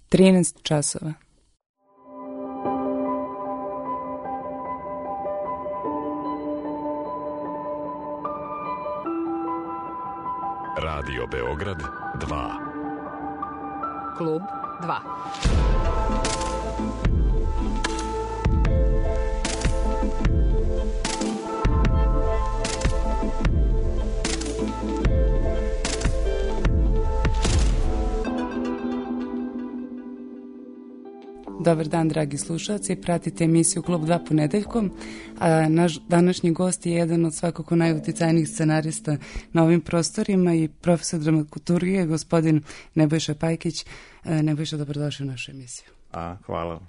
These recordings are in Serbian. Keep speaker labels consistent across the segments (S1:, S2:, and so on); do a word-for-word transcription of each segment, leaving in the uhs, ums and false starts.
S1: trinaest časova.
S2: Radio Beograd dva.
S3: Klub dva.
S1: Dobar dan, dragi slušalci, pratite emisiju Klub dva ponedeljkom, a naš današnji gost je jedan od svakako najuticajnijih scenarista na ovim prostorima i profesor dramaturgije, gospodin Nebojša Pajkić. Nebojša, dobrodošli u našu emisiju.
S4: A, hvala.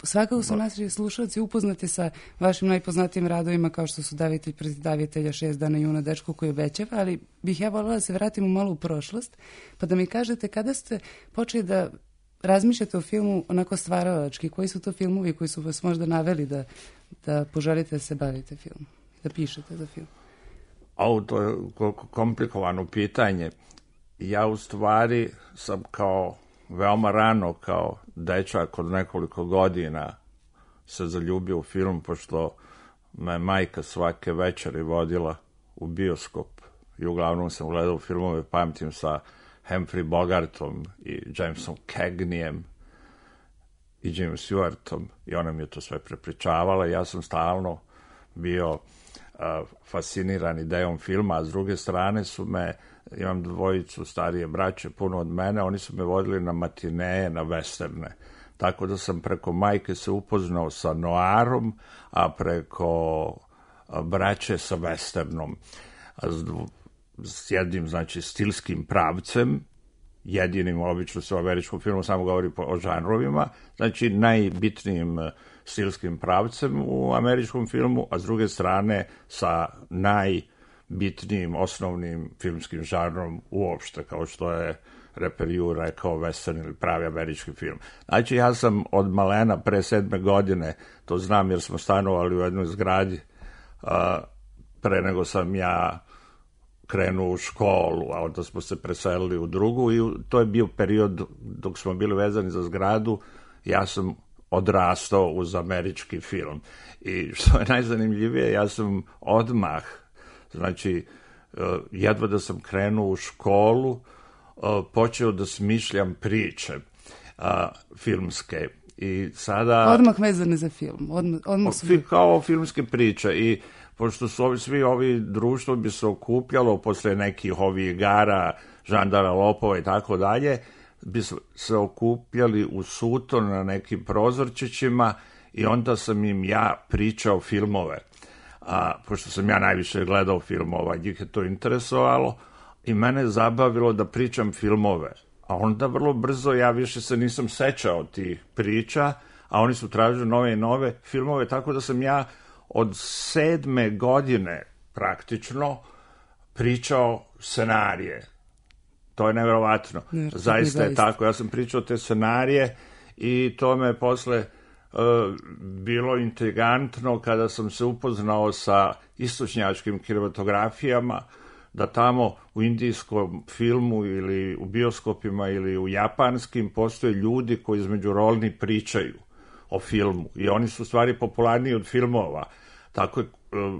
S1: Svakako su naši slušalci upoznati sa vašim najpoznatijim radovima kao što su Davitelj protiv davitelja, Šest dana juna, Dečko koji obećava, ali bih ja voljela da se vratimo malo u prošlost, pa da mi kažete kada ste počeli da razmišljate o filmu onako stvaralački, koji su to filmovi koji su vas možda naveli da, da poželite da se bavite filmom, da pišete za film?
S4: Ovo, to je komplikovano pitanje. Ja u stvari sam kao veoma rano, kao dečak od nekoliko godina se zaljubio u film, pošto me majka svake večeri vodila u bioskop i uglavnom sam gledao filmove, pamtim, sa Humphrey Bogartom i Jamesom Cagneyem i Jimom Stewartom, i ona mi je to sve prepričavala. Ja sam stalno bio uh, fasciniran idejom filma, a s druge strane su me, imam dvojicu starije braće, puno od mene, oni su me vodili na matineje, na westerne. Tako da sam preko majke se upoznao sa noarom, a preko braće sa westernom. S jednim, znači, stilskim pravcem, jedinim, obično se u američkom filmu samo govori o žanrovima, znači najbitnijim stilskim pravcem u američkom filmu, a s druge strane sa najbitnijim osnovnim filmskim žanrom uopšte, kao što je Reper Ju rekao, western ili pravi američki film. Znači, ja sam od malena, pre sedme godine, to znam jer smo stanovali u jednoj zgradi, a, pre nego sam ja krenuo u školu, a onda smo se preselili u drugu, i to je bio period dok smo bili vezani za zgradu, ja sam odrastao uz američki film. I što je najzanimljivije, ja sam odmah, znači, jedva da sam krenuo u školu, počeo da smišljam priče filmske. I sada...
S1: Odmah vezane za film. Odmah, odmah su...
S4: Kao filmske priče. I pošto su ovi, svi ovi društvo bi se okupljalo posle nekih ovih igara, žandara, lopova i tako dalje, bi se okupljali u Suton na nekim prozorčićima i onda sam im ja pričao filmove. A, pošto sam ja najviše gledao filmova, njih je to interesovalo i mene je zabavilo da pričam filmove. A onda vrlo brzo ja više se nisam sećao tih priča, a oni su tražili nove i nove filmove, tako da sam ja od sedme godine praktično pričao scenarije. To je neverovatno. Ne, zaista je tako. Ja sam pričao te scenarije i to me posle uh, bilo intrigantno kada sam se upoznao sa istočnjačkim kinematografijama, da tamo u indijskom filmu ili u bioskopima ili u japanskim postoje ljudi koji između rolni pričaju o filmu i oni su u stvari popularniji od filmova. Tako je uh,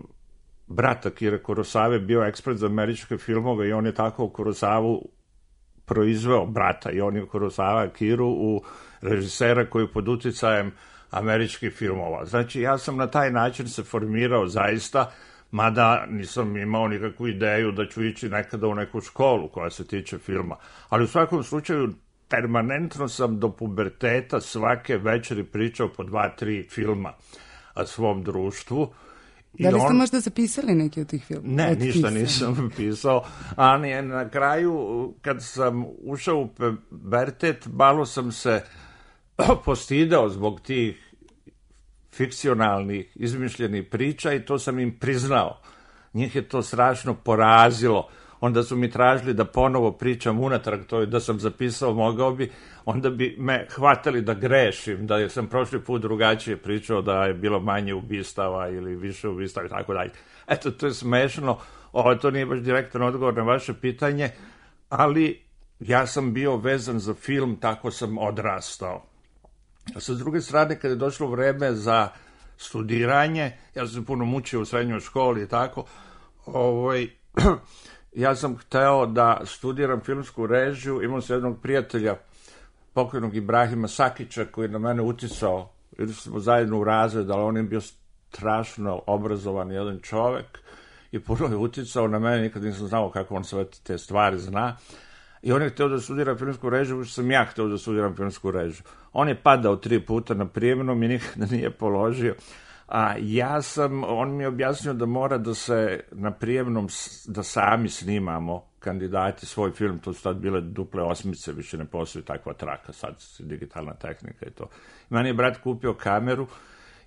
S4: brat Akire Kurosave bio ekspert za američke filmove i on je tako Kurosavu proizveo, brata, i on je Kurosava Akiru u režisera koji je pod uticajem američkih filmova. Znači, ja sam na taj način se formirao zaista, mada nisam imao nikakvu ideju da ću ići nekada u neku školu koja se tiče filma. Ali u svakom slučaju, permanentno sam do puberteta svake večeri pričao po dva, tri filma o svom društvu.
S1: Da li ste on... možda zapisali neki od tih filmova?
S4: Ne, ništa nisam pisao, ali na kraju, kad sam ušao u pubertet, malo sam se postidao zbog tih fikcionalnih, izmišljenih priča i to sam im priznao. Njih je to strašno porazilo. Onda su mi tražili da ponovo pričam unatrag, to je da sam zapisao, mogao bi, onda bi me hvatali da grešim, da sam prošli put drugačije pričao, da je bilo manje ubistava ili više ubistava i tako dalje. Eto, to je smešno, ovo, to nije baš direktan odgovor na vaše pitanje, ali ja sam bio vezan za film, tako sam odrastao. A sa druge strane, kada je došlo vreme za studiranje, ja sam puno mučio u srednjoj školi i tako, ovaj, ja sam hteo da studiram filmsku režiju, imao sam jednog prijatelja, pokojnog Ibrahima Sakića, koji je na mene uticao, ili smo zajedno u razred, ali on je bio strašno obrazovan jedan čovek i puno je uticao na mene, nikad nisam znao kako on sve te stvari zna. I on je hteo da studira filmsku režiju, što sam ja hteo da studiram filmsku režiju. On je padao tri puta na prijemnom i nikada nije položio. A ja sam, on mi je objasnio da mora da se na prijemnom, da sami snimamo kandidati svoj film, to su tad bile duple osmice, više ne postoji takva traka, sad digitalna tehnika i to. Meni je brat kupio kameru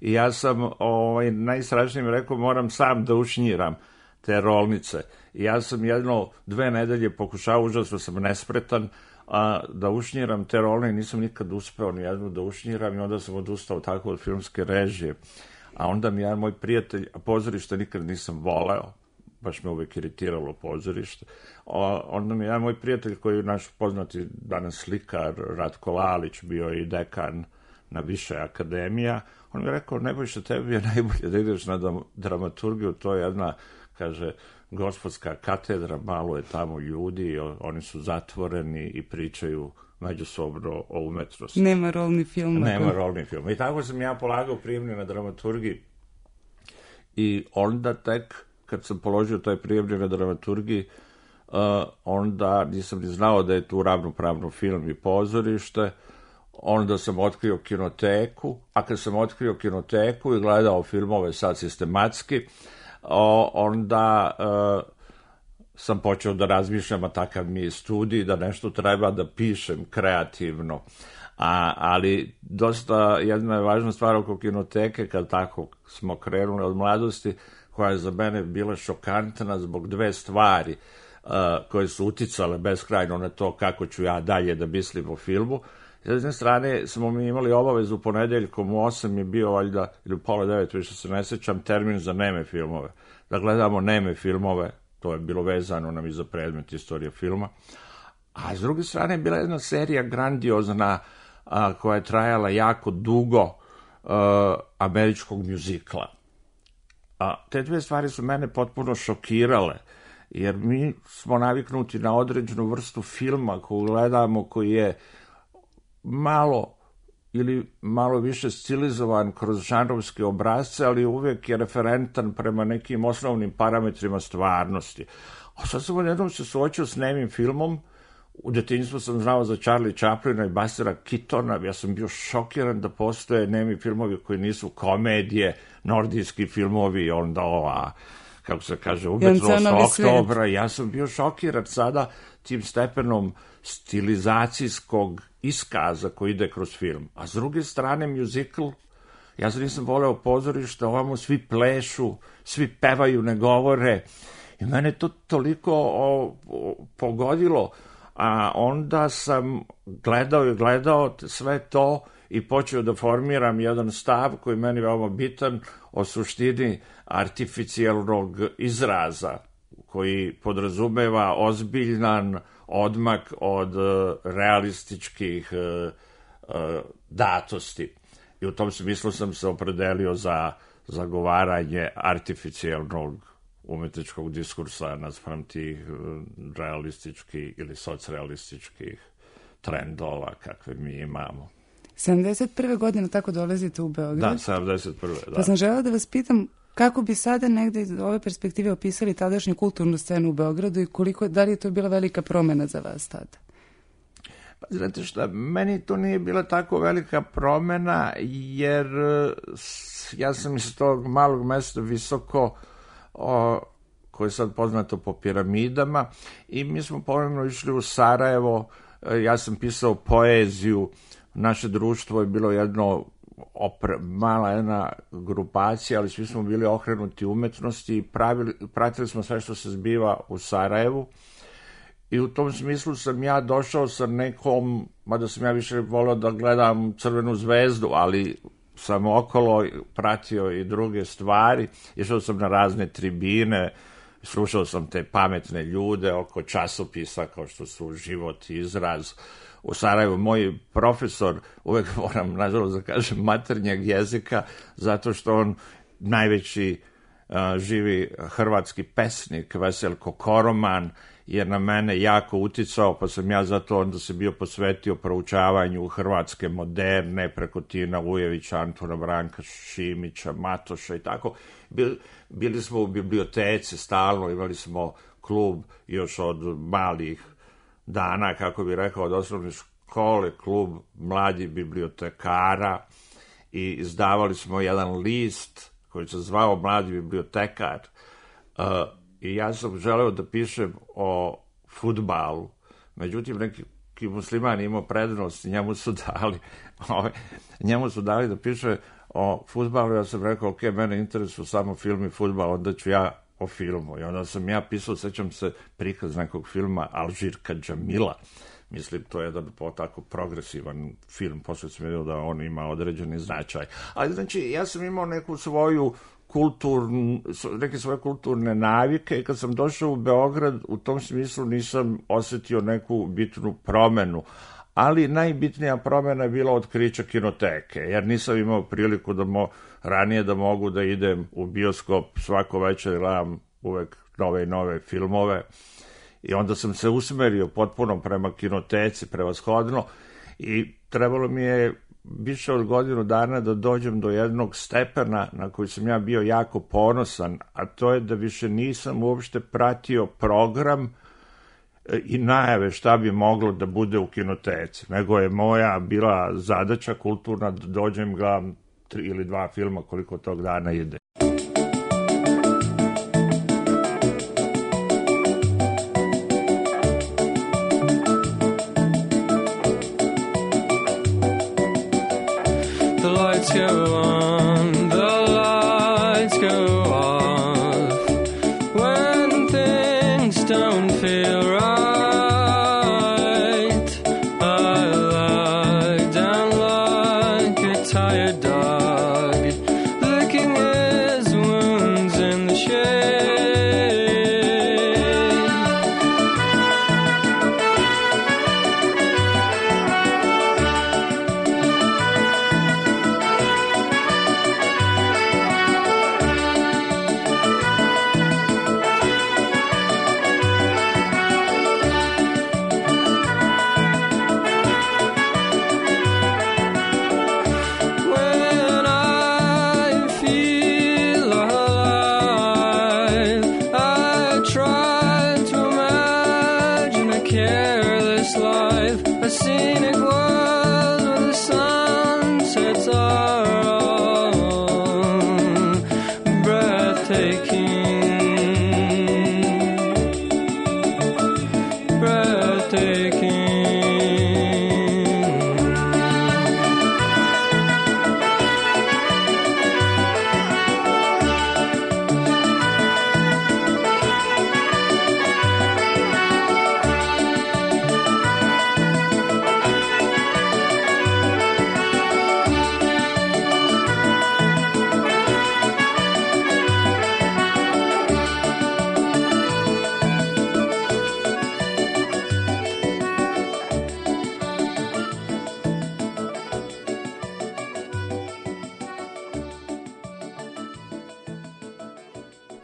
S4: i ja sam ovaj, najstrašnije mi rekao, moram sam da ušnjiram te rolnice. I ja sam jedno, dve nedelje pokušao, užasno sam nespretan, a, da ušnjiram te rolne i nisam nikad uspeo ni jednu da ušnjiram i onda sam odustao tako od filmske režije. A onda mi jedan moj prijatelj, a pozorište nikad nisam voleo, baš me uvek iritiralo pozorište, a, onda mi jedan moj prijatelj koji je naš poznati danas slikar, Ratko Lalić, bio i dekan na više akademija, on mi je rekao, Nebojša, tebi je najbolje da ideš na dramaturgiju, to je jedna, kaže, gospodska katedra, malo je tamo ljudi, oni su zatvoreni i pričaju međusobno o umetnosti.
S1: Nema rolni film.
S4: Nema rolni film. I tako sam ja polagao prijemni na dramaturgiji i onda tek, kad sam položio taj prijemni na dramaturgiji, uh, onda nisam ni znao da je tu ravnopravno film i pozorište, onda sam otkrio kinoteku, a kad sam otkrio kinoteku i gledao filmove sad sistematski, o, onda uh, sam počeo da razmišljam, a takav mi je studij, da nešto treba da pišem kreativno. A, ali dosta, jedna je važna stvar oko kinoteke, kad tako smo krenuli od mladosti, koja je za mene bila šokantna zbog dve stvari uh, koje su uticale beskrajno na to kako ću ja dalje da mislim o filmu. S jedne strane smo mi imali obavezu ponedeljkom u osam je bio valjda, ili pola devet, više se ne sećam, termin za neme filmove. Da gledamo neme filmove, to je bilo vezano nam i za predmet istorije filma. A s druge strane je bila jedna serija grandiozna a, koja je trajala jako dugo, a, američkog mjuzikla. A te dve stvari su mene potpuno šokirale, jer mi smo naviknuti na određenu vrstu filma koju gledamo, koji je malo ili malo više stilizovan kroz žanrovske obrazce, ali uvijek je referentan prema nekim osnovnim parametrima stvarnosti. A sad sam jednom se suočio s nemim filmom, u detinjstvu sam znao za Charlie Chaplina i Bustera Keatona, ja sam bio šokiran da postoje nemi filmovi koji nisu komedije, nordijski filmovi, onda ova, kako se kaže, umetnost oktobra, ja sam bio šokiran sada tim stepenom stilizacijskog iskaza koji ide kroz film. A s druge strane, mjuzikl, ja se nisam voleo pozorište, ovamo svi plešu, svi pevaju, ne govore. I mene to toliko o, o, pogodilo, a onda sam gledao i gledao sve to i počeo da formiram jedan stav koji meni veoma bitan o suštini artificijalnog izraza, koji podrazumeva ozbiljan odmak od realističkih uh, uh, datosti. I u tom smislu sam se opredelio za zagovaranje artificijalnog umetničkog diskursa naspram tih uh, realističkih ili socrealističkih trendova kakve mi imamo.
S1: sedamdeset prve godine tako dolazite u Beograd?
S4: Da, sedamdeset prve da.
S1: Pa sam želela da vas pitam kako bi sada negde iz ove perspektive opisali tadašnju kulturnu scenu u Beogradu i koliko, da li je to bila velika promena za vas tada?
S4: Pa znate šta, meni to nije bila tako velika promena, jer ja sam iz tog malog mesta visoko, o, koje je sad poznato po piramidama, i mi smo ponovno išli u Sarajevo, ja sam pisao poeziju, naše društvo je bilo jedno Opre, mala jedna grupacija, ali svi smo bili okrenuti umetnosti i pravili, pratili smo sve što se zbiva u Sarajevu i u tom smislu sam ja došao sa nekom, mada sam ja više volio da gledam Crvenu zvezdu, ali sam okolo pratio i druge stvari, išao sam na razne tribine, slušao sam te pametne ljude oko časopisa kao što su Život i Izraz. U Sarajevu moj profesor, uvek moram nažalost da kažem maternjeg jezika, zato što on najveći uh, živi hrvatski pesnik Veselko Koroman je na mene jako uticao, pa sam ja zato onda se bio posvetio proučavanju hrvatske moderne preko Tina Ujevića, Antuna Branka Šimića, Matoša i tako. Bil, bili smo u biblioteci stalno, imali smo klub još od malih dana, kako bi rekao, od osnovne škole, klub mladih bibliotekara, i izdavali smo jedan list koji se zvao Mladi bibliotekar. Uh, I ja sam želeo da pišem o fudbalu, međutim neki musliman imao prednost, njemu su dali, ovaj, njemu su dali da piše o fudbalu. Ja sam rekao, ok, mene interesuju samo film i fudbal, onda ću ja o filmu. I onda sam ja pisao, sećam se, prikaz nekog filma Alžirka Džamila. Mislim, to je jedan tako progresivan film, posle sam vidio da on ima određeni značaj. Ali znači, ja sam imao neku svoju kulturnu, neke svoje kulturne navike i kad sam došao u Beograd, u tom smislu nisam osetio neku bitnu promenu. Ali najbitnija promena je bila otkriće kinoteke, jer nisam imao priliku da mo, ranije da mogu da idem u bioskop svako večer, gledam uvek nove i nove filmove. I onda sam se usmerio potpuno prema kinoteci, prevashodno, i trebalo mi je više od godinu dana da dođem do jednog stepena na koji sam ja bio jako ponosan, a to je da više nisam uopšte pratio program i najave šta bi moglo da bude u kinoteci, nego je moja bila zadaća kulturna da dođem, gledam tri ili dva filma koliko tog dana ide.
S2: Go on, the lights go off when things don't feel right. I lie down like a tired dog, licking his wounds in the shade.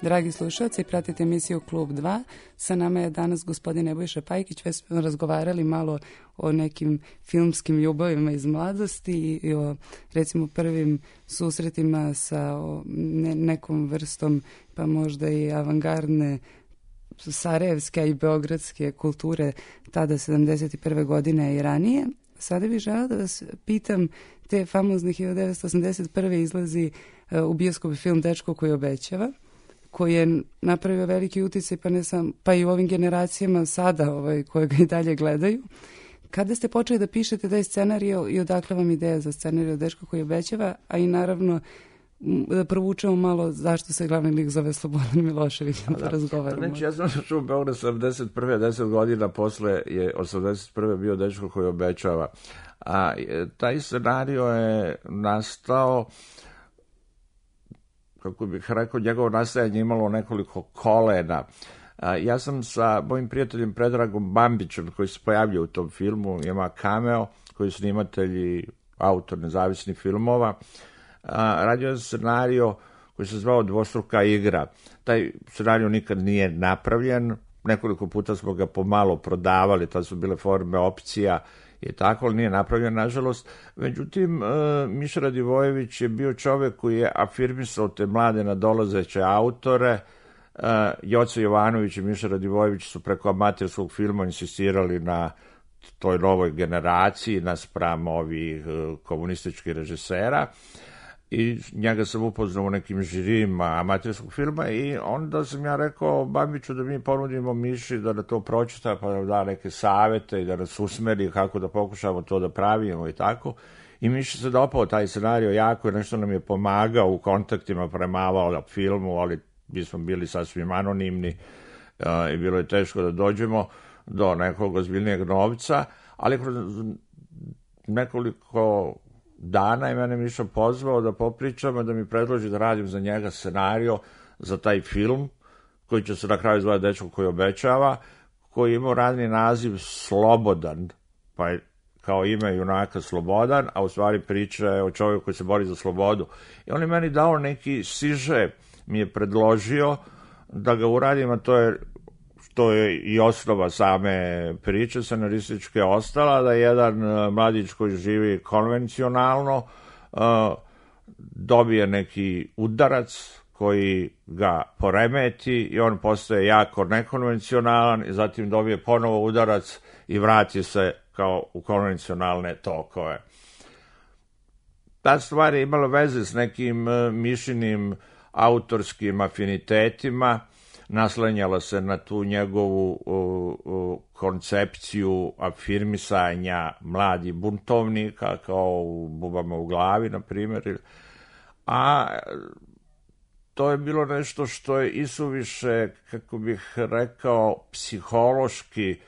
S1: Dragi slušalci, pratite emisiju Klub dva. Sa nama je danas gospodin Nebojša Pajkić. Već smo razgovarali malo o nekim filmskim ljubavima iz mladosti i o, recimo, prvim susretima sa o, ne, nekom vrstom, pa možda i avangardne sarajevske i beogradske kulture tada sedamdeset prve godine i ranije. Sada bih želela da vas pitam, te famozne hiljadu devetsto osamdeset prve izlazi uh, u bioskopu film Dečko koji obećava, koji je napravio veliki uticaj, pa ne sam, pa i u ovim generacijama sada, ovaj, koje ga i dalje gledaju. Kada ste počeli da pišete taj scenario i odakle vam ideja za scenario Dečko koji obećava, a i naravno da provučemo malo zašto se glavni lik zove Slobodan Milošević, da, da razgovaramo.
S4: Znači, ja sam došao u Beograd sedamdeset prve deset godina posle je osamdeset prve bio Dečko koji obećava. A taj scenario je nastao kako bih rekao, njegovo nastajanje imalo nekoliko kolena. Ja sam sa mojim prijateljem Predragom Bambićem, koji se pojavljuje u tom filmu, ima cameo, koji je snimatelj i autor nezavisnih filmova, radio scenario koji se zvao Dvostruka igra. Taj scenario nikad nije napravljen, nekoliko puta smo ga pomalo prodavali, to su bile forme opcija i tako, ali nije napravljen, nažalost. Međutim, Miša Radivojević je bio čovek koji je afirmisao te mlade nadolazeće autore. Joco Jovanović i Miša Radivojević su preko amaterskog filma insistirali na toj novoj generaciji naspram ovih komunističkih režisera i njega sam upoznao u nekim žirijima amaterskog filma i onda sam ja rekao Bambiću da mi ponudimo Miši da na to pročita pa da da neke savete i da nas usmeri kako da pokušamo to da pravimo i tako. I Miši se dopao taj scenario jako i nešto nam je pomagao u kontaktima, premavao filmu, ali mi smo bili sasvim anonimni uh, i bilo je teško da dođemo do nekog ozbiljnijeg novca, ali kroz nekoliko dana je mene Miša pozvao da popričamo, da mi predloži da radim za njega scenario za taj film, koji će se na kraju zvati Dečko koji obećava, koji imao radni naziv Slobodan, pa je kao ime junaka Slobodan, a u stvari priča je o čovjeku koji se bori za slobodu. I on je meni dao neki siže, mi je predložio da ga uradim, a to je, to je i osnova same priče scenarističke ostala, da jedan mladić koji živi konvencionalno uh, dobije neki udarac koji ga poremeti i on postaje jako nekonvencionalan i zatim dobije ponovo udarac i vrati se kao u konvencionalne tokove. Ta stvar je imala veze s nekim uh, Mišinim autorskim afinitetima, naslanjala se na tu njegovu uh, uh, koncepciju afirmisanja mladih buntovnika, kao u Bubama u glavi, na primjer. A to je bilo nešto što je isuviše, kako bih rekao, psihološki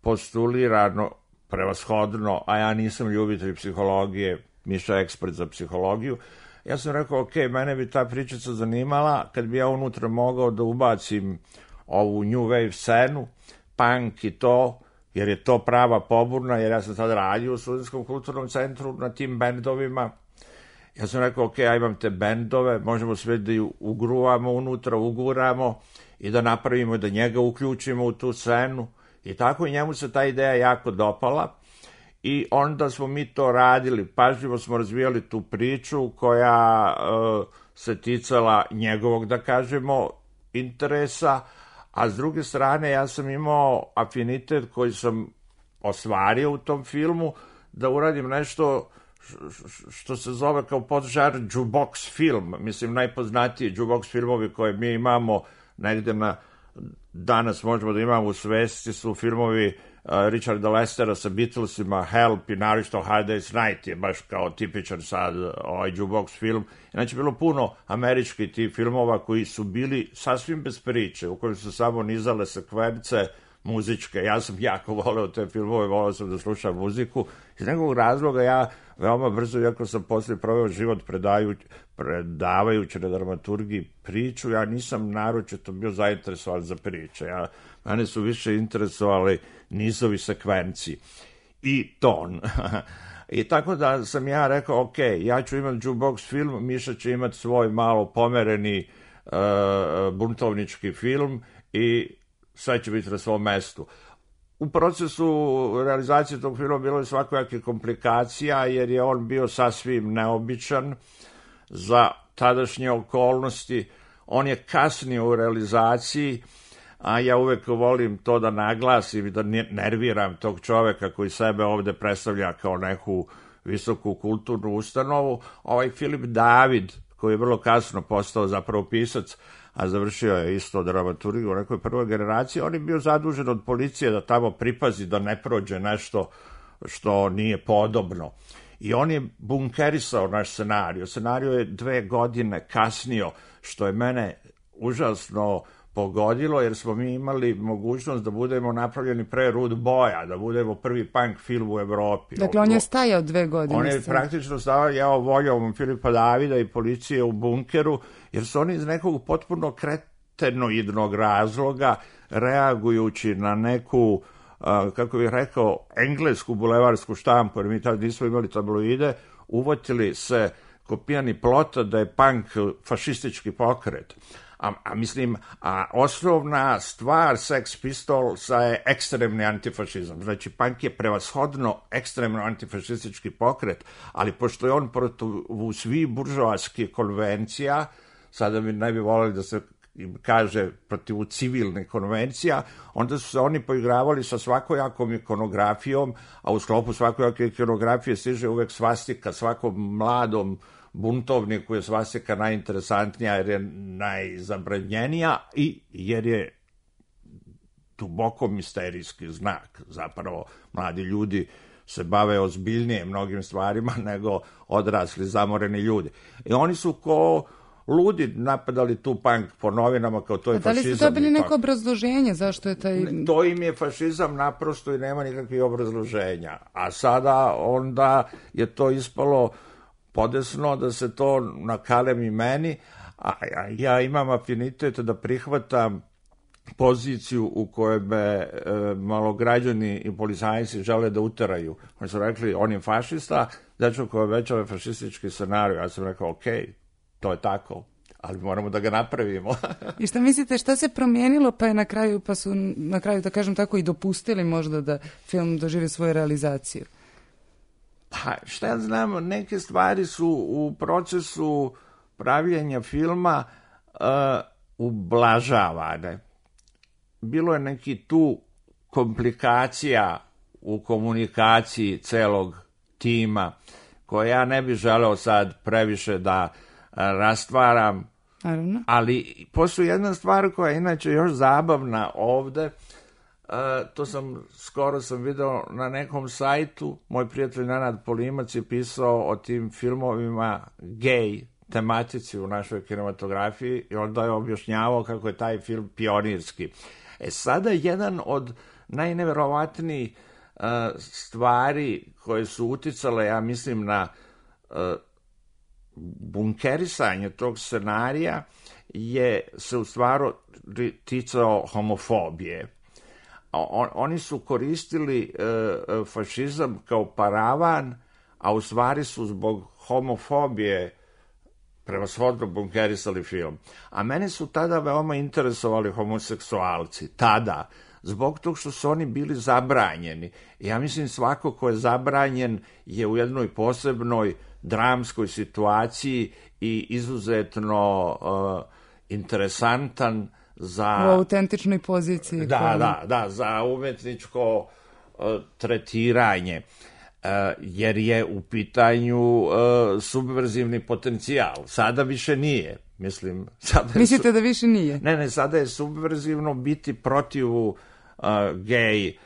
S4: postulirano, prevashodno, a ja nisam ljubitelj psihologije, Miša je ekspert za psihologiju. Ja sam rekao, ok, mene bi ta pričica zanimala kad bi ja unutra mogao da ubacim ovu new wave scenu, punk i to, jer je to prava poburna, jer ja sam tada radio u Studentskom kulturnom centru na tim bendovima. Ja sam rekao, ok, ja imam te bendove, možemo sve da ju ugruvamo unutra, uguramo i da napravimo, da njega uključimo u tu scenu. I tako i njemu se ta ideja jako dopala. I onda smo mi to radili, pažljivo smo razvijali tu priču koja uh, se ticala njegovog, da kažemo, interesa, a s druge strane ja sam imao afinitet koji sam ostvario u tom filmu da uradim nešto što se zove kao podžar jukebox film, mislim najpoznatiji jukebox filmovi koje mi imamo negde na danas možemo da imamo u svesti su filmovi Richarda Lestera sa Beatlesima, Help i naročito Hard Day's Night je baš kao tipičan sad ovaj jukebox film. Znači, bilo puno američkih tih filmova koji su bili sasvim bez priče, u kojim su samo nizale sekvence muzičke. Ja sam jako voleo te filmove, voleo sam da slušam muziku. Iz nekog razloga ja veoma brzo, iako sam poslije proveo život predajući, predavajući na dramaturgiji priču, ja nisam naročito bio zainteresovan za priče. Ja, mene su više interesovali nizovi sekvenci i ton. I tako da sam ja rekao, ok, ja ću imati jukebox film, Miša će imati svoj malo pomereni uh, buntovnički film i sve će biti na svom mestu. U procesu realizacije tog filma bilo je svakojake komplikacija, jer je on bio sasvim neobičan za tadašnje okolnosti. On je kasnio u realizaciji, a ja uvek volim to da naglasim i da nerviram tog čoveka koji sebe ovde predstavlja kao neku visoku kulturnu ustanovu. Ovaj Filip David, koji je vrlo kasno postao zapravo pisac, a završio je isto dramaturgiju u nekoj prvoj generaciji, on je bio zadužen od policije da tamo pripazi da ne prođe nešto što nije podobno. I on je bunkerisao naš scenario. Scenario je dve godine kasnio, što je mene užasno pogodilo, jer smo mi imali mogućnost da budemo napravljeni pre Rude Boya, da budemo prvi punk film u Evropi.
S1: Dakle, on je stajao dve godine.
S4: On je praktično stajao voljom Filipa Davida i policije u bunkeru, jer su oni iz nekog potpuno kretenoidnog razloga, reagujući na neku, uh, kako bih rekao, englesku bulevarsku štampu, jer mi tada nismo imali tabloide, uvotili se kopijani plota da je punk fašistički pokret. A, a mislim, a osnovna stvar Sex Pistolsa je ekstremni antifašizam. Znači, punk je prevashodno ekstremno antifašistički pokret, ali pošto je on protiv svih buržoaskih konvencija, sada bi ne bi voleli da se kaže protiv civilnih konvencija, onda su se oni poigravali sa svakojakom ikonografijom, a u sklopu svakojake ikonografije stiže uvek svastika svakom mladom buntovniku je svastika najinteresantnija jer je najzabranjenija i jer je duboko misterijski znak. Zapravo, mladi ljudi se bave ozbiljnije mnogim stvarima nego odrasli zamoreni ljudi. I oni su ko ludi napadali tu punk po novinama kao to je fašizam.
S1: Da li ste dobili neko obrazloženje zašto je taj...
S4: To im je fašizam naprosto i nema nikakvih obrazloženja. A sada onda je to ispalo podesno da se to nakalemi meni, a ja imam afinitet da prihvatam poziciju u kojoj me e, malograđani i policajci žele da uteraju. Oni su rekli, on je fašista, dečko koji obećava fašistički scenarij. Ja sam rekao, ok, to je tako, ali moramo da ga napravimo.
S1: I šta mislite, šta se promijenilo pa je na kraju, pa su na kraju, da kažem tako, i dopustili možda da film doživi svoju realizaciju?
S4: Pa šta ja znam, neke stvari su u procesu pravljenja filma uh, ublažavane. Bilo je neki tu komplikacija u komunikaciji celog tima koje ja ne bih želeo sad previše da rastvaram.
S1: Naravno.
S4: Ali postoji jedna stvar koja je inače još zabavna ovde. Uh, to sam, skoro sam video na nekom sajtu, moj prijatelj Nenad Polimac je pisao o tim filmovima gej tematici u našoj kinematografiji i onda je objašnjavao kako je taj film pionirski. E sada jedan od najneverovatnijih uh, stvari koje su uticale, ja mislim, na uh, bunkerisanje tog scenarija je se u stvaru ticao homofobije. On, oni su koristili e, fašizam kao paravan, a u stvari su zbog homofobije prevashodno bunkerisali film. A mene su tada veoma interesovali homoseksualci, tada, zbog tog što su oni bili zabranjeni. Ja mislim svako ko je zabranjen je u jednoj posebnoj dramskoj situaciji i izuzetno uh, interesantan za...
S1: U autentičnoj poziciji.
S4: Da,
S1: koja...
S4: da, da, za umetničko uh, tretiranje, uh, jer je u pitanju uh, subverzivni potencijal. Sada više nije. Mislim, sada je
S1: Mislite
S4: su...
S1: da više nije?
S4: Ne, ne, sada je subverzivno biti protiv uh, gej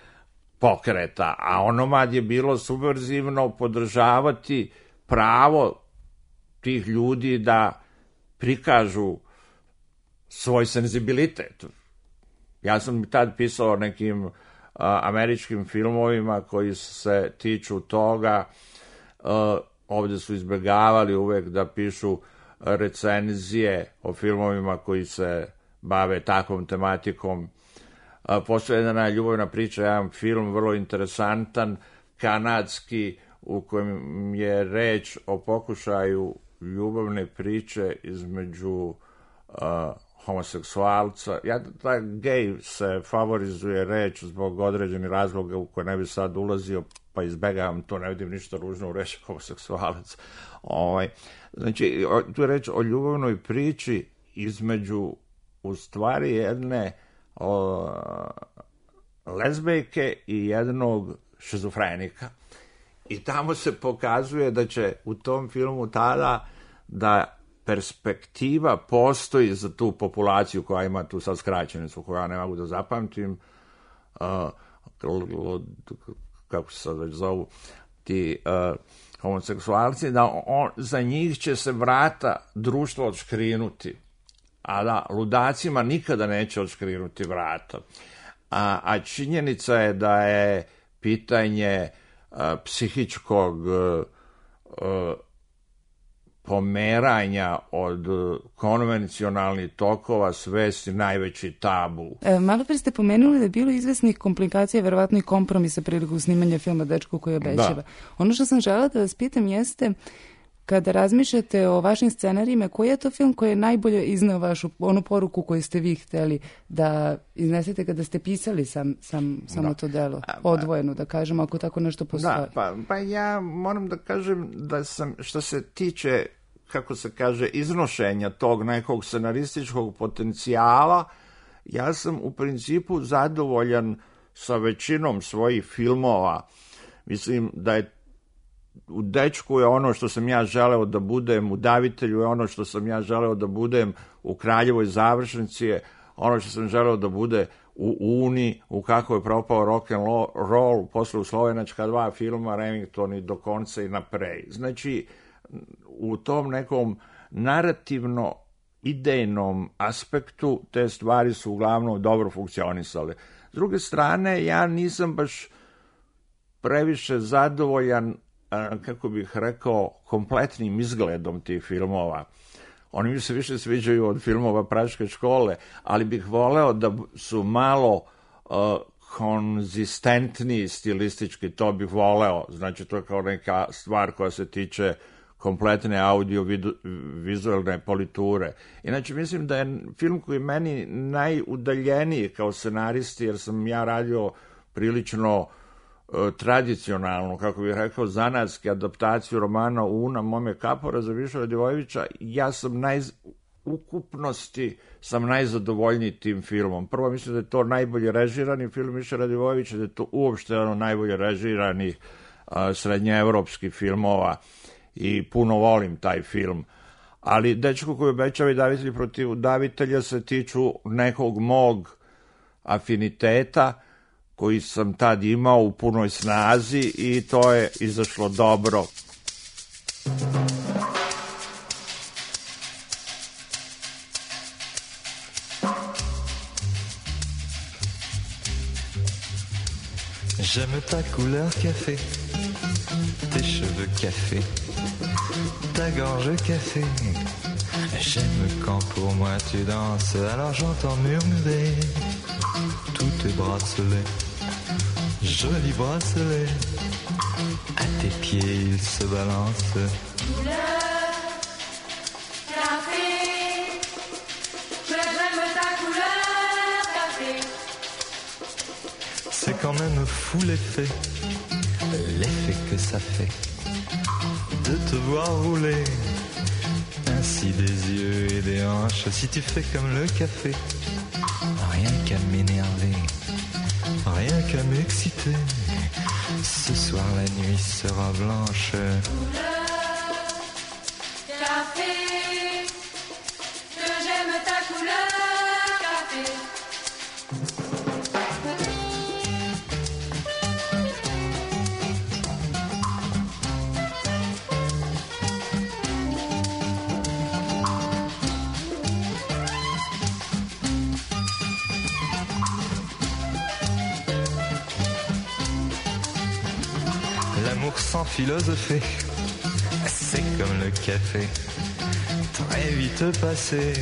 S4: pokreta, a onomad je bilo subverzivno podržavati pravo tih ljudi da prikažu svoj senzibilitet. Ja sam tad pisao o nekim uh, američkim filmovima koji se tiču toga. Uh, ovde su izbjegavali uvek da pišu recenzije o filmovima koji se bave takvom tematikom. Uh, postoje jedna ljubavna priča, jedan film vrlo interesantan, kanadski, u kojem je reč o pokušaju ljubavne priče između uh, homoseksualca. Ja, taj gej se favorizuje reč zbog određenih razloga u koje ne bi sad ulazio, pa izbegavam to, ne vidim ništa ružno u reči homoseksualac. Ovaj, znači, tu je reč o ljubavnoj priči između, u stvari, jedne o, lezbejke i jednog šizofrenika. I tamo se pokazuje da će u tom filmu tada da perspektiva postoji za tu populaciju koja ima tu sad skraćenicu, koju ja ne mogu da zapamtim, uh, kako se sad već zovu, ti uh, homoseksualci, da on, za njih će se vrata društva odškrinuti. a da ludacima nikada neće odškrinuti vrata. A, a činjenica je da je pitanje a, psihičkog a, a, pomeranja od konvencionalnih tokova svesti najveći tabu.
S1: E, malo pre ste pomenuli da je bilo izvesnih komplikacija, verovatno i kompromisa prilikom snimanja filma Dečko koji obećava. Da. Ono što sam želela da vas pitam jeste, kada razmišljate o vašim scenarijima, koji je to film koji je najbolje izneo vašu onu poruku koju ste vi hteli da iznesete kada ste pisali sam, sam, samo da. to delo, odvojeno, da kažemo, ako tako nešto postoji?
S4: Da, pa, pa ja moram da kažem da sam, što se tiče, kako se kaže, iznošenja tog nekog scenarističkog potencijala, ja sam u principu zadovoljan sa većinom svojih filmova. Mislim da je u Dečku je ono što sam ja želeo da budem, u Davitelju je ono što sam ja želeo da budem, u Kraljevoj završnici je ono što sam želeo da bude u Uni, u Kako je propao rock and roll, posle u Slovenačka dva filma, Remington i Do konca i naprej. Znači, u tom nekom narativno idejnom aspektu te stvari su uglavnom dobro funkcionisale. S druge strane, ja nisam baš previše zadovoljan, kako bih rekao, kompletnim izgledom tih filmova. Oni mi se više sviđaju od filmova Praške škole, ali bih voleo da su malo uh, konzistentniji stilistički, to bih voleo. Znači, to je kao neka stvar koja se tiče kompletne audio-vizualne politure. Inače, mislim da je film koji je meni najudaljeniji kao scenaristi, jer sam ja radio prilično tradicionalnu, kako bih rekao, zanatski adaptaciju romana Una Mome Kapora za Viša Radivojevića, ja sam naj, ukupnosti sam najzadovoljniji tim filmom. Prvo, mislim da je to najbolje režirani film Viša Radivojevića, da je to uopšte ono najbolje režirani srednjeevropskih filmova i puno volim taj film. Ali Dečko koji obećava i Davitelji protiv davitelja se tiču nekog mog afiniteta koji sam tad imao u punoj snazi i to je izašlo dobro.
S5: J'aime ta couleur café, tes cheveux café, ta gorge café. J'aime quand pour moi tu danses, alors j'entends murmurer tous tes bracelets, jolis bracelets. À tes pieds ils se balancent.
S6: Couleur café, que j'aime ta couleur café.
S5: C'est quand même fou l'effet, l'effet que ça fait de te voir rouler ainsi des yeux et des hanches. Si tu fais comme le café, rien qu'à m'énerver, rien qu'à m'exciter. Ce soir la nuit sera blanche.
S6: Couleur café, que j'aime ta couleur café.
S5: L'amour sans philosopher, c'est comme le café, très vite passé.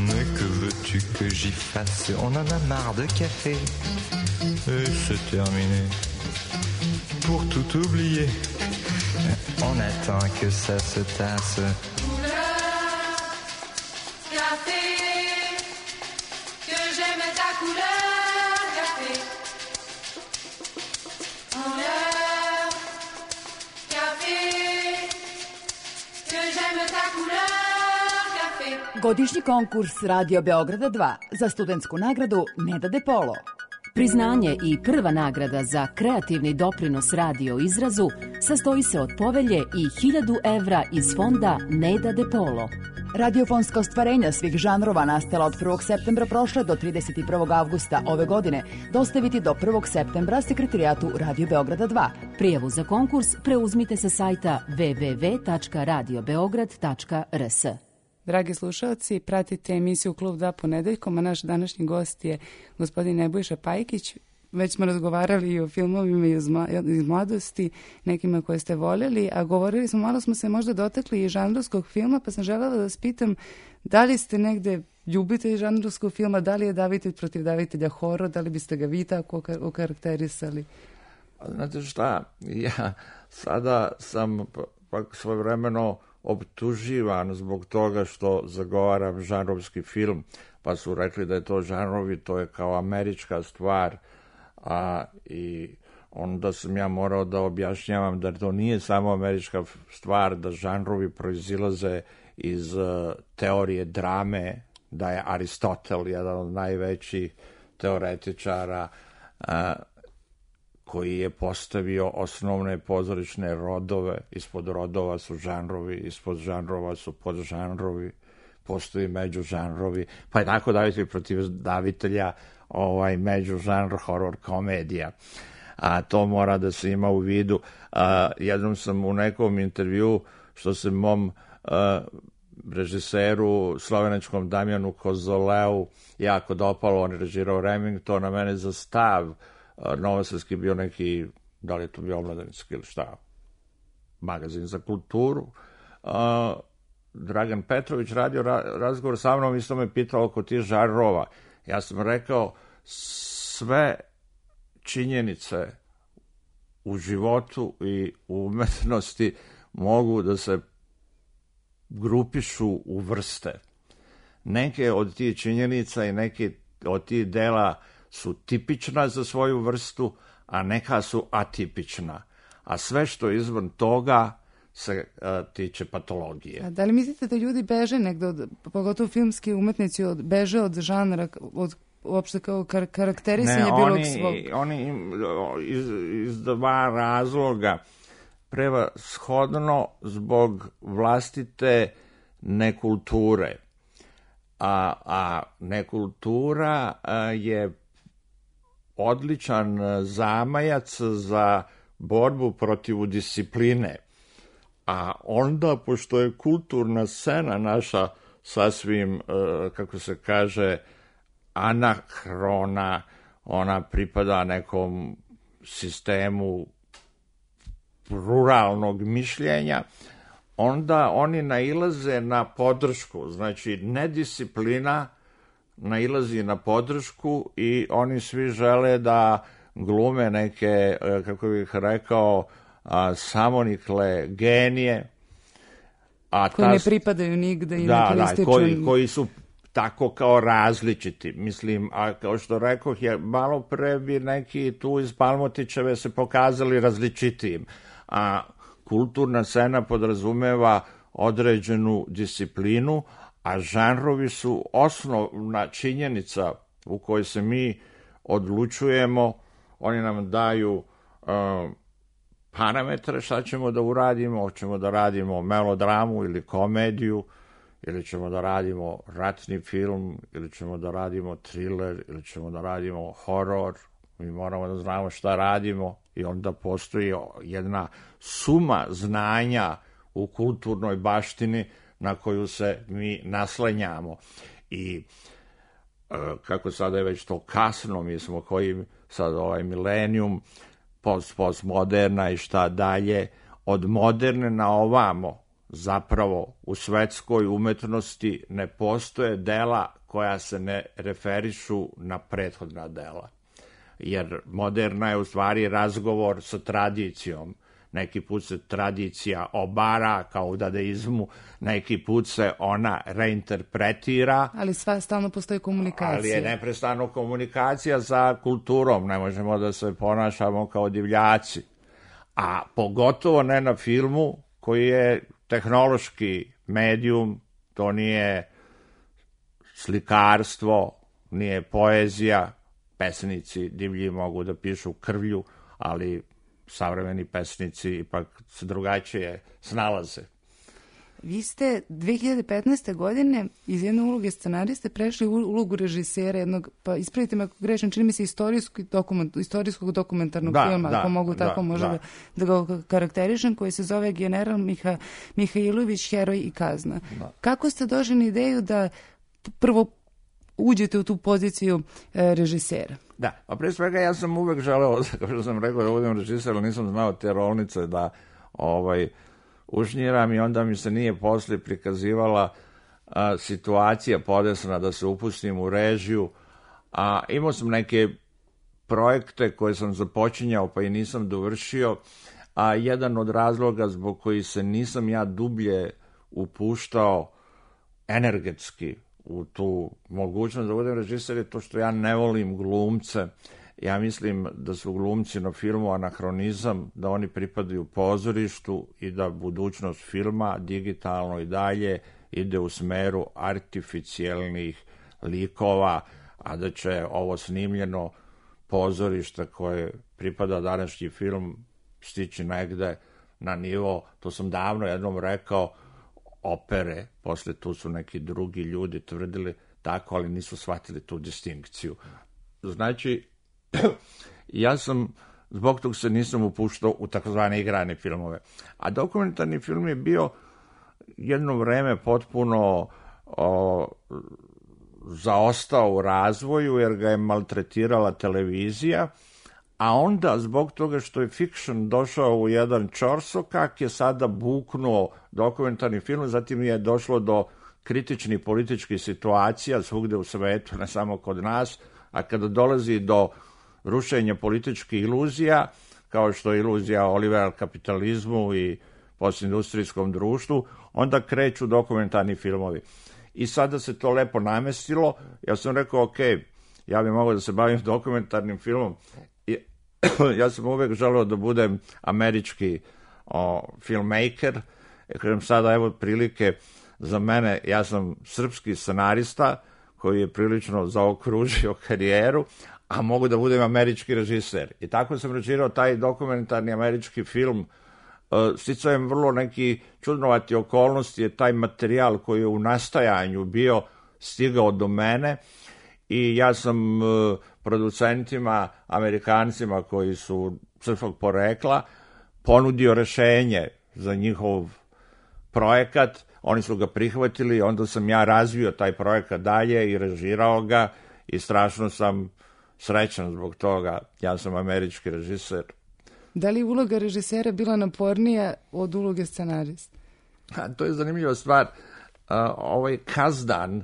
S5: Mais que veux-tu que j'y fasse? On en a marre de café, et c'est terminé. Pour tout oublier, on attend que ça se tasse.
S6: Couleur café, que j'aime ta couleur café. Couleur café, que j'aime ta couleur café.
S3: Godišnji konkurs Radio Beograda dva za studentsku nagradu Neda De Polo. Priznanje i prva nagrada za kreativni doprinos radio izrazu sastoji se od povelje i hiljadu evra iz fonda Neda De Polo. Radiofonska ostvarenja svih žanrova nastala od prvog septembra prošle do trideset prvog avgusta ove godine dostaviti do prvog septembra sekretarijatu Radio Beograda dva. Prijavu za konkurs preuzmite sa sajta w w w tačka radio beograd tačka r s.
S1: Dragi slušalci, pratite emisiju Klub dva ponedeljkom, a naš današnji gost je gospodin Nebojša Pajkić. Već smo razgovarali i o filmovima iz mladosti, nekima koje ste voljeli, a govorili smo, malo smo se možda dotakli i žanrovskog filma, pa sam želela da vas pitam da li ste negde ljubitelj žanrovskog filma, da li je davitelj protiv davitelja horor, da li biste ga vi tako okarakterisali?
S4: Znate šta, ja sada sam pak svojevremeno optuživan zbog toga što zagovaram žanrovski film, pa su rekli da je to žanrovi, to je kao američka stvar, a i onda sam ja morao da objašnjavam da to nije samo američka stvar, da žanrovi proizilaze iz uh, teorije drame, da je Aristotel jedan od najvećih teoretičara uh, koji je postavio osnovne pozorišne rodove, ispod rodova su žanrovi, ispod žanrova su podžanrovi, postoji međužanrovi, pa je tako davitelj protiv davitelja ovaj međužanr horor komedija. A to mora da se ima u vidu. A, jednom sam u nekom intervju, što se mom a, režiseru slovenačkom Damjanu Kozoleu jako dopalo, on je režirao Remington, na mene za stav novosadski bio neki, da li je to bio omladinski ili šta, magazin za kulturu. A, Dragan Petrović radio ra razgovor sa mnom, isto me pitao oko tih žanrova. Ja sam rekao, sve činjenice u životu i u umetnosti mogu da se grupišu u vrste. Neke od tih činjenica i neke od tih dela su tipična za svoju vrstu, a neka su atipična. A sve što je izvan toga se a, tiče patologije.
S1: A da li mislite da ljudi beže negde, od, pogotovo filmski umetnici, od, beže od žanra, od uopšte kao kar karakterisanje
S4: ne,
S1: bilog
S4: oni,
S1: svog?
S4: Oni iz, iz dva razloga. Prevashodno zbog vlastite nekulture. A, a nekultura a, je odličan zamajac za borbu protiv discipline. A onda, pošto je kulturna scena naša sasvim, kako se kaže, anahrona, ona pripada nekom sistemu ruralnog mišljenja, onda oni nailaze na podršku. Znači, nedisciplina nailazi na podršku i oni svi žele da glume neke, kako bih rekao, a, samonikle genije. A
S1: koji ta, ne pripadaju nigde i
S4: da,
S1: ne
S4: da, koji, koji su tako kao različiti. Mislim, a kao što rekoh, je, malo pre bi neki tu iz Palmotićeve se pokazali različitijim. A kulturna scena podrazumeva određenu disciplinu, a žanrovi su osnovna činjenica u kojoj se mi odlučujemo. Oni nam daju uh, parametre šta ćemo da uradimo, hoćemo da radimo melodramu ili komediju, ili ćemo da radimo ratni film, ili ćemo da radimo thriller, ili ćemo da radimo horor. Mi moramo da znamo šta radimo i onda postoji jedna suma znanja u kulturnoj baštini na koju se mi naslanjamo. I kako sada je već to kasno, mi smo koji sad ovaj milenijum, post, postmoderna i šta dalje, od moderne na ovamo, zapravo u svetskoj umetnosti ne postoje dela koja se ne referišu na prethodna dela. Jer moderna je u stvari razgovor sa tradicijom. Neki put se tradicija obara kao u dadaizmu, neki put se ona reinterpretira.
S1: Ali sva stalno postoji komunikacija.
S4: Ali je neprestano komunikacija sa kulturom, ne možemo da se ponašamo kao divljaci. A pogotovo ne na filmu koji je tehnološki medijum, to nije slikarstvo, nije poezija, pesnici divlji mogu da pišu krvlju, ali savremeni pesnici ipak se drugačije snalaze.
S1: Vi ste dve hiljade petnaeste. godine iz jedne uloge scenariste prešli u ulogu režisera jednog, pa ispravite me ako grešim, čini mi se istorijskog, dokument, istorijskog dokumentarnog
S4: da,
S1: filma,
S4: da,
S1: ako mogu
S4: da,
S1: tako možda da, da, da ga karakterišem, koji se zove General Miha, Mihajlović, heroj i kazna. Da. Kako ste došli na ideju da prvo uđete u tu poziciju e, režisera?
S4: Da, pa prije svega ja sam uvek želeo, kao što sam rekao, da budem režiser, ali nisam znao te rolnice da ovaj, ušnjiram i onda mi se nije poslije prikazivala a, situacija podesna da se upustim u režiju, a imao sam neke projekte koje sam započinjao pa i nisam dovršio, a jedan od razloga zbog koji se nisam ja dublje upuštao energetski u tu mogućnost da budem režiser je to što ja ne volim glumce. Ja mislim da su glumci na filmu anahronizam, da oni pripadaju pozorištu i da budućnost filma digitalno i dalje ide u smeru artificijelnih likova, a da će ovo snimljeno pozorište koje pripada današnji film stići negde na nivo, to sam davno jednom rekao, opere, posle tu su neki drugi ljudi tvrdili tako, ali nisu shvatili tu distinkciju. Znači, ja sam, zbog tog se nisam upuštao u takozvane igrane filmove. A dokumentarni film je bio jedno vreme potpuno o, zaostao u razvoju, jer ga je maltretirala televizija, a onda zbog toga što je fiction došao u jedan ćorsokak je sada buknuo dokumentarni film, zatim je došlo do kritičnih političkih situacija svugde u svetu, ne samo kod nas, a kada dolazi do rušenja političkih iluzija, kao što je iluzija o liberal kapitalizmu i postindustrijskom društvu, onda kreću dokumentarni filmovi. I sada se to lepo namestilo, ja sam rekao, ok, ja bih mogao da se bavim dokumentarnim filmom. Ja sam uvek želeo da budem američki o, filmmaker, ja kažem sada evo prilike za mene, ja sam srpski scenarista koji je prilično zaokružio karijeru, a mogu da budem američki režiser. I tako sam režirao taj dokumentarni američki film. Sticajem vrlo neki čudnovati okolnosti je taj materijal koji je u nastajanju bio stigao do mene i ja sam producentima, Amerikancima koji su srpskog porekla, ponudio rešenje za njihov projekat, oni su ga prihvatili, onda sam ja razvio taj projekat dalje i režirao ga i strašno sam srećan zbog toga, ja sam američki režiser.
S1: Da li uloga režisera bila napornija od uloge scenarista?
S4: A, to je zanimljiva stvar. A, ovaj Kazdan,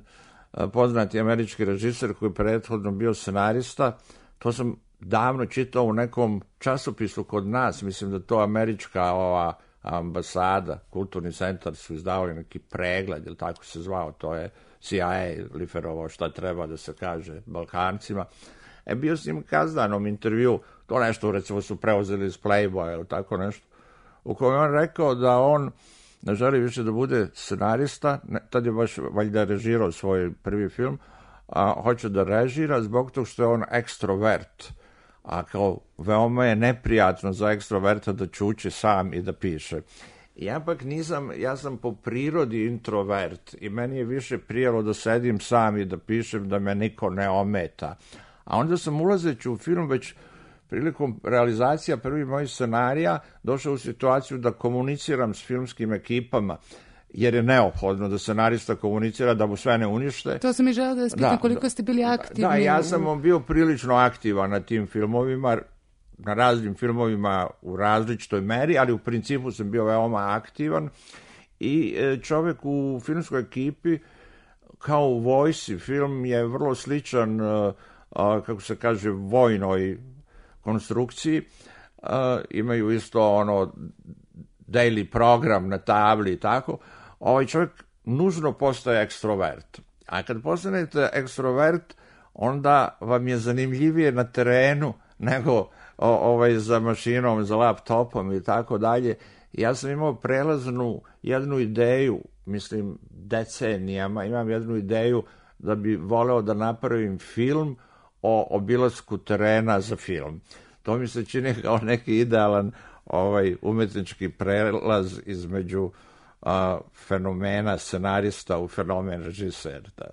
S4: poznati američki režiser koji je prethodno bio scenarista, to sam davno čitao u nekom časopisu kod nas, mislim da to američka ova ambasada, kulturni centar su izdavali neki pregled, ili tako se zvao, to je C I A liferovao šta treba da se kaže Balkancima. E, bio s njim Kazdanom intervju, to nešto recimo su preuzeli iz Playboya ili tako nešto, u kojem on rekao da on ne želi više da bude scenarista, ne, tad je baš valjda režirao svoj prvi film, a hoće da režira zbog toga što je on ekstrovert, a kao veoma je neprijatno za ekstroverta da čuči sam i da piše. Ja pak nisam, ja sam po prirodi introvert i meni je više prijelo da sedim sam i da pišem, da me niko ne ometa. A onda sam ulazeći u film već prilikom realizacija prvih mojih scenarija došao u situaciju da komuniciram s filmskim ekipama, jer je neophodno da scenarista komunicira da mu sve ne unište.
S1: To sam i želeo da vas pitam, koliko ste bili aktivni.
S4: Da, ja sam bio prilično aktivan na tim filmovima, na raznim filmovima u različitoj meri, ali u principu sam bio veoma aktivan i čovjek u filmskoj ekipi kao u vojsi, film je vrlo sličan, kako se kaže, vojnoj konstrukciji, imaju isto ono daily program na tabli i tako. Ovaj čovjek nužno postaje ekstrovert. A kad postanete ekstrovert, onda vam je zanimljivije na terenu nego o, ovaj, za mašinom, za laptopom i tako dalje. Ja sam imao prelaznu jednu ideju, mislim decenijama, imam jednu ideju da bi voleo da napravim film o obilasku terena za film. To mi se čini kao neki idealan ovaj umetnički prelaz između a, fenomena scenarista u fenomen režiser. Da.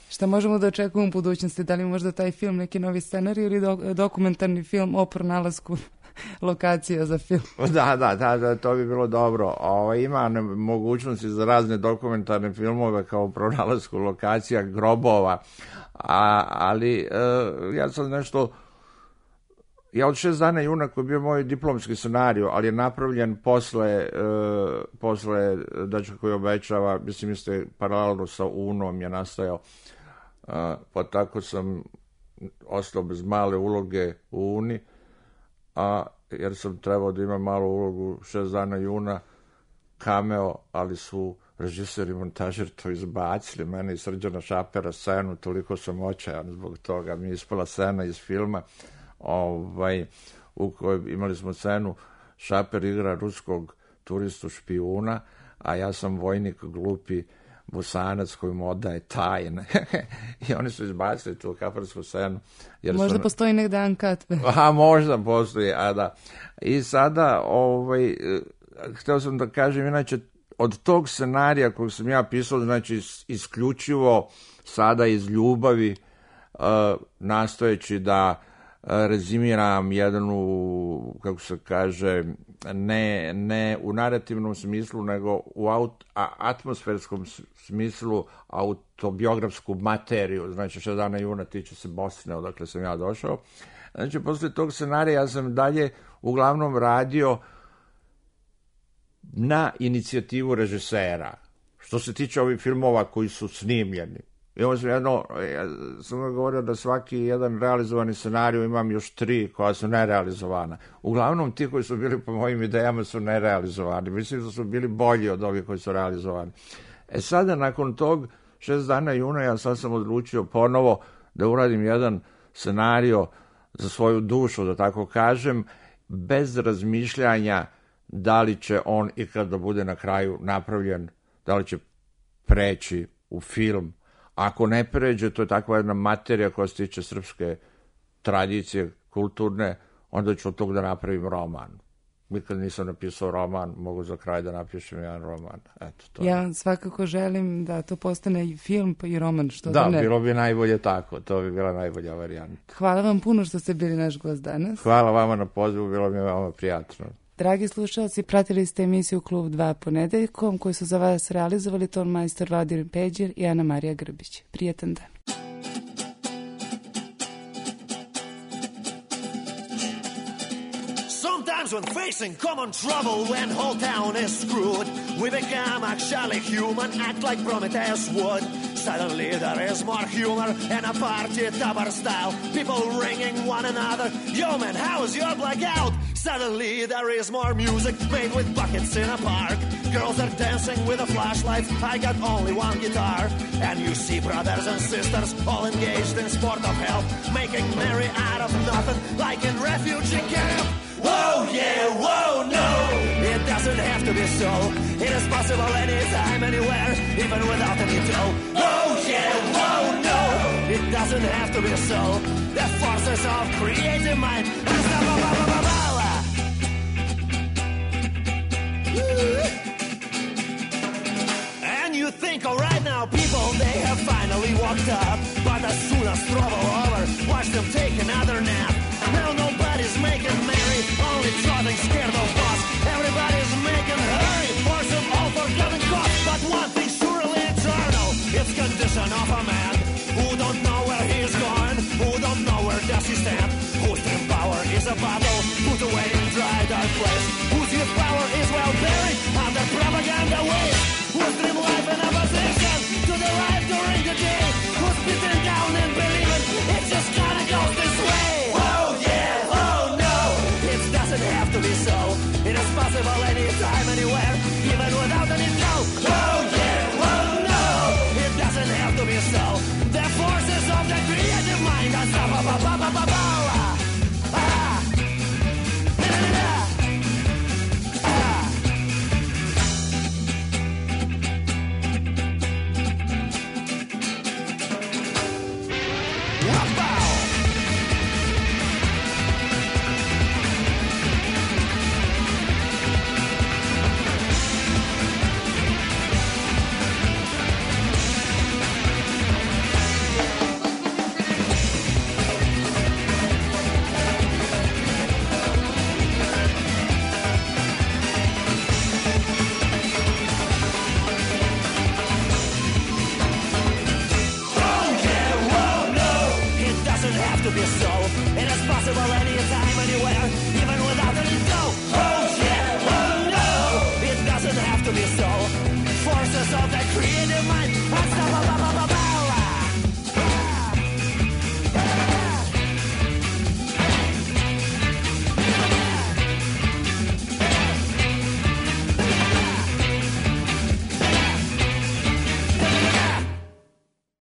S1: Šta možemo da očekujemo u budućnosti? Da li možda taj film neki novi scenarij ili do, dokumentarni film o pronalasku lokacija za film?
S4: Da, da, da, da, to bi bilo dobro. O, ima ne, mogućnosti za razne dokumentarne filmove kao pronalasku lokacija, grobova, a, ali e, ja sam nešto... Ja od šest dana juna koji je bio moj diplomski scenarij, ali je napravljen posle, e, posle Dečka koji obećava, mislim jeste paralelno sa Unom je nastajao, e, pa tako sam ostao bez male uloge u Uni, a jer sam trebao da imam malu ulogu šest dana juna, cameo, ali su režiser i montažer to izbacili, mene i Srđana Šapera scenu, toliko sam očajan zbog toga, mi je ispala scena iz filma, ovaj, u kojoj imali smo scenu, Šaper igra ruskog turistu špijuna, a ja sam vojnik glupi Bosanac koji mu odaje tajne. I oni su izbacili tu kafarsku scenu. Jer
S1: možda
S4: su...
S1: postoji negde uncut.
S4: Aha, možda postoji, a da. I sada, ovaj, hteo sam da kažem, inače, od tog scenarija kojeg sam ja pisao, znači isključivo sada iz ljubavi, uh, nastojeći da rezimiram jednu, kako se kaže, ne, ne u narativnom smislu, nego u aut, a, atmosferskom smislu autobiografsku materiju. Znači, šest dana juna tiče se Bosne, odakle sam ja došao. Znači, posle tog scenarija ja sam dalje uglavnom radio na inicijativu režisera. Što se tiče ovih filmova koji su snimljeni. I ovo sam jedno, ja sam govorio da svaki jedan realizovani scenarij imam još tri koja su nerealizovana. Uglavnom ti koji su bili po mojim idejama su nerealizovani. Mislim da su bili bolji od ovih koji su realizovani. E sada nakon tog šest dana juna ja sad sam odlučio ponovo da uradim jedan scenario za svoju dušu, da tako kažem, bez razmišljanja da li će on ikad da bude na kraju napravljen, da li će preći u film. Ako ne pređe, to je takva jedna materija koja se tiče srpske tradicije, kulturne, onda ću od tog da napravim roman. Nikad nisam napisao roman, mogu za kraj da napišem jedan roman. Eto, to
S1: ja svakako želim da to postane i film pa i roman, što
S4: da,
S1: da ne.
S4: Da, bilo bi najbolje tako, to bi bila najbolja varijanta.
S1: Hvala vam puno što ste bili naš gost danas.
S4: Hvala vama na pozivu, bilo mi je veoma prijatno.
S1: Dragi slušalci, pratili ste emisiju Klub dva ponedeljkom koju su za vas realizovali ton majstor Vladimir Peđer i Ana Marija Grbić. Prijetan dan.
S7: Sometimes when facing common trouble, when whole town is screwed, we become actually human, act like Prometheus would. Suddenly there is more humor and a party topper style. People ringing one another. Yo man, how's your blackout? Suddenly there is more music made with buckets in a park. Girls are dancing with a flashlight. I got only one guitar. And you see brothers and sisters all engaged in sport of health, making merry out of nothing like in refugee camp. Whoa, yeah, whoa, no. It doesn't have to be so. It is possible anytime, anywhere, even without any dough. Oh, yeah, whoa, no. It doesn't have to be so. The forces of creative mind. And you think, all right now, people, they have finally woke up. But as soon as trouble over, watch them take another nap. Now nobody's making merry, only trotting scared of us. Everybody's making hurry for some all-forgotten cause. But one thing surely eternal, it's condition of a man who don't know where he's going, who don't know where does he stand, whose dream power is a bottle put away in dry dark place, whose youth power is well buried under propaganda waves, whose dream life in opposition to the life during the day, who's beaten down and believing it just kinda goes this way. Have to be so. It is possible anytime, anywhere, even without any dough. Oh yeah, oh no, it doesn't have to be so. The forces of the creative mind are so ba ba ba ba ba ba. Ah, ah, ah. of that creative mind. Unstoppable.